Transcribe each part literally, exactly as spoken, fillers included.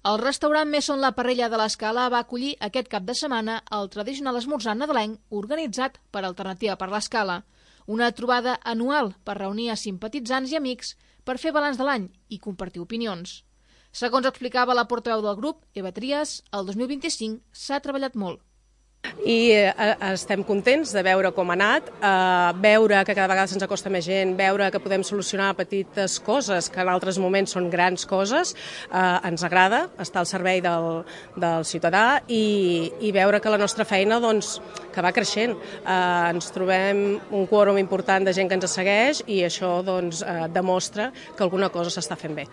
El restaurant Messon La Parrella de l'Escala va acollir aquest cap de setmana el tradicional esmorzar nadalenc organitzat per Alternativa per l'Escala, una trobada anual per reunir a simpatitzants i amics per fer balanç de l'any i compartir opinions. Segons explicava la portaveu del grup, Eva Trias, el dos mil vint-i-cinc s'ha treballat molt. I eh, estem contents de veure com ha anat, eh, veure que cada vegada se'ns acosta més gent, veure que podem solucionar petites coses que en altres moments són grans coses, eh, ens agrada estar al servei del, del ciutadà i, i veure que la nostra feina doncs, que va creixent. Eh, ens trobem un quòrum important de gent que ens segueix i això doncs, eh, demostra que alguna cosa s'està fent bé.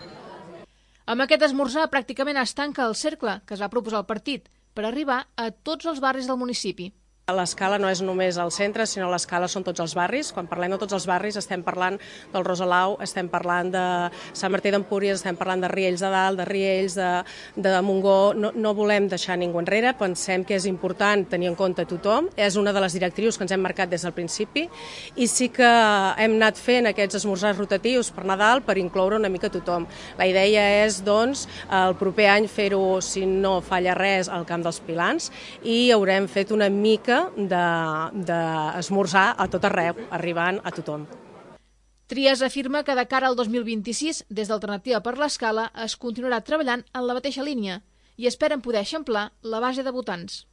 Amb aquest esmorzar pràcticament es tanca el cercle que es va proposar el partit per arribar a tots els barris del municipi. L'Escala no és només el centre, sinó l'Escala són tots els barris. Quan parlem de tots els barris estem parlant del Rosalau, estem parlant de Sant Martí d'Empúries, estem parlant de Riells de Dalt, de Riells, de, de Montgó. No, no volem deixar ningú enrere, pensem que és important tenir en compte tothom. És una de les directrius que ens hem marcat des del principi i sí que hem anat fent aquests esmorzars rotatius per Nadal per incloure una mica tothom. La idea és, doncs, el proper any fer-ho, si no falla res, al Camp dels Pilans i haurem fet una mica d'esmorzar a tot arreu, arribant a tothom. Trias afirma que de cara al dos mil vint-i-sis, des d'Alternativa per l'Escala, es continuarà treballant en la mateixa línia i esperen poder eixamplar la base de votants.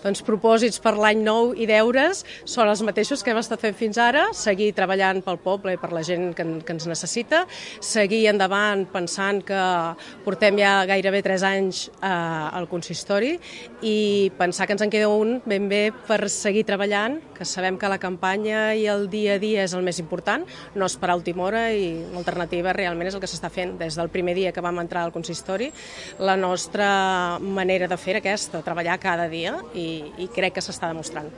Doncs propòsits per l'any nou i deures són els mateixos que hem estat fent fins ara, seguir treballant pel poble i per la gent que, que ens necessita, seguir endavant pensant que portem ja gairebé tres anys eh, al consistori i pensar que ens en queda un ben bé per seguir treballant, que sabem que la campanya i el dia a dia és el més important, no esperar a última hora i l'alternativa realment és el que s'està fent des del primer dia que vam entrar al consistori. La nostra manera de fer aquesta, treballar cada dia, i, i crec que s'està demostrant.